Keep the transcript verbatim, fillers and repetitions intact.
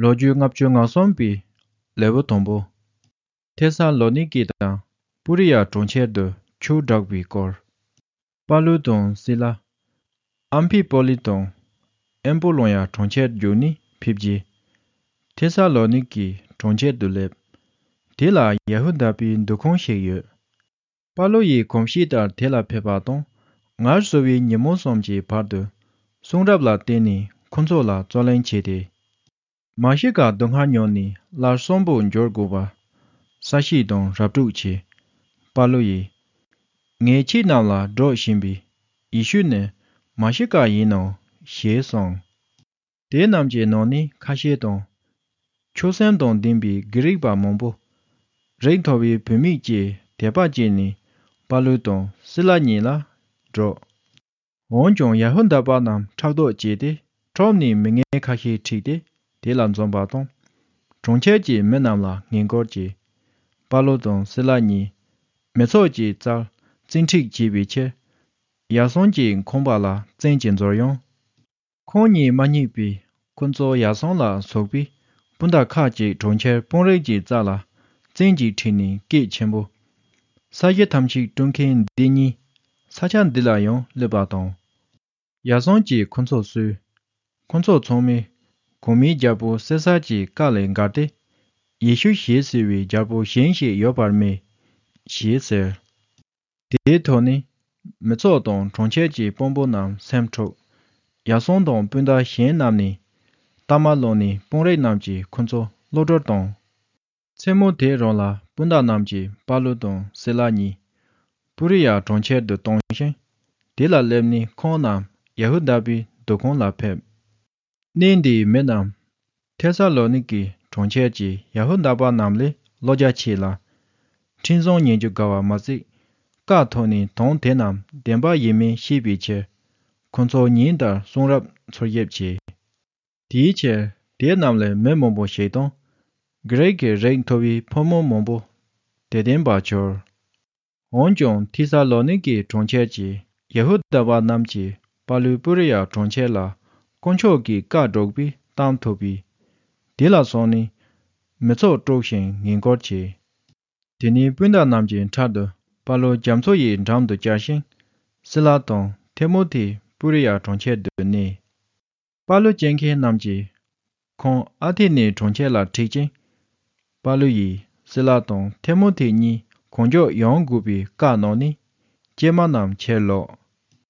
ལོ་རྒྱུས་ལྔ་བཅུ་ང་གསུམ་པའི་ལེའུ་དང་པོ། ཐེ་ས་ལོ་ནི་ཀེ་དང་པུ་རི་ཡ་གྲོང་ཁྱེར་དུ་ཆོས་བསྒྲགས་པའི་སྐོར། པཱ་ལུ་དང་སི་ལ། ཨམ་ཕི་པོ་ལི་དང་ཨེམ་པོ་ལོ་ཡ་གྲོང་ཁྱེར་བརྒྱུད་ནས་ཕེབས་རྗེས། ཐེ་ས་ལོ་ནི་ཀེའི་གྲོང་ཁྱེར་དུ་སླེབས། དེ་ལ་ཡ་ཧུ་དཱ་པའི་འདུ་ཁང་ཞིག་ཡོད། པཱ་ལུ་ཡིས་གོམས་གཤིས་ལྟར་དེ་ལ་ཕེབས་པ་དང་། ངལ་གསོ་བའི་ཉིན་མོ་གསུམ་གྱི་བར་དུ་གསུང་རབ་ལ་བརྟེན་ནས་ཁོ་ཚོ་ལ་རྩོད་གླེང་བྱས་ཏེ། མ་ཤི་ཀ་སྡུག་བསྔལ་མྱོང་ནས་སླར་གསོན་པོར་འགྱུར་དགོས་པ་གསལ་བཤད་དང་ར་སྤྲོད་བྱས། པཱ་ལུ་ཡིས། ངས་ཁྱེད་རྣམས་ལ་སྒྲོག་བཞིན་པའི་ཡེ་ཤུ་ནི་མ་ཤི་ཀ་ཡིན་ནོ་ཞེས་གསུངས། དེ་རྣམས་ཀྱི་ནང་ནས་ཁ་ཤས་དང་། ཆོས་སེམས་དང་ལྡན་པའི་གྷི་རིག་པ་མང་པོ། རིགས་མཐོ་བའི་བུད་མེད་ཀྱིས་དད་པ་བསྐྱེད་ནས་པཱ་ལུ་དང་སི་ལ་གཉིས་ལ་སྒྲོག་འོན་ཀྱང་ཡ་ཧུ་དཱ་པ་རྣམས་ཕྲག་དོག་བྱས་ཏེ་ཁྲོམ་ནས་མི་ངན་ཁ་ཤས་ཁྲིད་དེ་དེ་ལ་འཛོམས་པ་དང་། གྲོང་ཁྱེར་གྱི་མི་རྣམས་ལ་ངན་སྐུལ་གྱིས། པཱ་ལུ་དང་སི་ལ་གཉིས་མི་ཚོགས་ཀྱི་རྩར་བཙན་ཁྲིད་བྱས་པའི་ཕྱིར། ཡར་སོང་གྱི་ཁང་པ་ལ་བཙན་གྱིས་འཛུལ་ཡོང་། ཁོང་གཉིས་མ་རྙེད་པས་ཁོ་ཚོ་ཡར་སོང་ལ་སོགས་པའི་སྤུན་ཟླ་ཁག་ཅིག་གྲོང་ཁྱེར་དཔོན་རིགས་ཀྱི་རྩ་ལ་བཙན་གྱིས་ཁྲིད་ནས་སྐད་ཆེན་པོས། ས་གཞི་ཐམས་ཅད་དཀྲུག་མཁན་འདི་གཉིས་ས་ཆ་འདི་ལ་ཡང་སླེབས་པ་དང་། ཡར་སོང་གིས་ཁོ་ཚོ་གསོས། ཁོ་ཚོ་ཚང་མས་གོང་མའི་རྒྱལ་པོ་སེ་སར་གྱི་བཀའ་ལས་འགལ་ཏེ། ཡེ་ཤུ་ཞེས་ཟེར་བའི་རྒྱལ་པོ་གཞན་ཞིག་ཡོད་པར་སྨྲས། ཞེས་ཟེར། དེའི་ཐོག་ནས་མི་ཚོགས་དང་གྲོང་ཁྱེར་གྱི་དཔོན་པོ་རྣམས་སེམས་འཁྲུགས། ཡར་སོང་དང་སྤུན་ཟླ་གཞན་རྣམས་ནི་སྟག་མ་ལོག་ནས་དཔོན་རིགས་རྣམས་ཀྱིས་ཁོ་ཚོ་གློད་གྲོལ་བཏང་། མཚན་མོ་དེ་རང་ལ་སྤུན་ཟླ་རྣམས་ཀྱིས་པཱ་ལུ་དང་སི་ལ་གཉིས་པུ་རི་ཡ་གྲོང་ཁྱེར་དུ་བཏང་ཞིང་། དེ་ལ་སླེབས་ནས་ཁོང་རྣམས་ཡ་ཧུ་དཱ་པའི་འདུ་ཁང་ལ་ཕེབས། གནས་འདིའི་མི་རྣམས་ཐེ་ས་ལོ་ནི་ཀའི་གྲོང་ཁྱེར་གྱི་ཡ་ཧུ་དཱ་པ་རྣམས་ལས་བློ་རྒྱ་ཆེ་ལ། འཕྲིན་བཟང་ཉན་རྒྱུ་དགའ་བ་མ་ཟད། བཀའ་ཐོག་ནས་དོན་དེ་རྣམས་བདེན་པ་ཡིན་མིན་ཤེས་པའི་ཕྱིར། ཁོ་ཚོ་ཉིན་ལྟར་གསུང་རབ་འཚོལ་ཞིབ་བྱས། དེའི་ཕྱིར་དེ་རྣམས་ལས་མི་མང་པོ་ཞིག་དང་། གྷི་རིག་གི་རིགས་མཐོ་བའི་ཕོ་མོ་མང་པོ་དད་ལྡན་པ་གྱུར། འོན་ཀྱང་ཐི་ས་ལོ་ནི་ཀའི་གྲོང་ཁྱེར་གྱི་ཡ་ཧུ་དཱ་པ་རྣམས་ཀྱིས་པཱ་ལུས་པུ་རི་ཡ་གྲོང་ཁྱེར་ལ་དཀོན་མཆོག་གི་བཀའ་སྒྲོག་པའི་གཏམ་ཐོས་པས། དེ་ལ་སོང་ནས་མི་ཚོགས་དཀྲུགས་ཤིང་ངན་སྐུལ་བྱས། དེ་ནས་སྤུན་ཟླ་རྣམས་ཀྱི་མཐར་དུ་པཱ་ལུ་རྒྱ་མཚོ་ཡི་འགྲམ་དུ་བཅར་ཞིང་། སི་ལ་དང་ཐེ་མོ་ཐེ་པུ་རི་ཡ་གྲོང་ཁྱེར་དུ་གནས། པཱ་ལུ་སྐྱེལ་མཁན་རྣམས་ཀྱིས་ཁོང་ཨ་ཐེ་ནེ་གྲོང་ཁྱེར་ལ་ཁྲིད་ཅིང་། པཱ་ལུ་ཡིས་སི་ལ་དང་ཐེ་མོ་ཐེ་གཉིས་གང་མགྱོགས་ཡོང་དགོས་པའི་བཀའ་གནང་ནས་སྐྱེལ་མ་རྣམས་ཕྱིར་ལོག།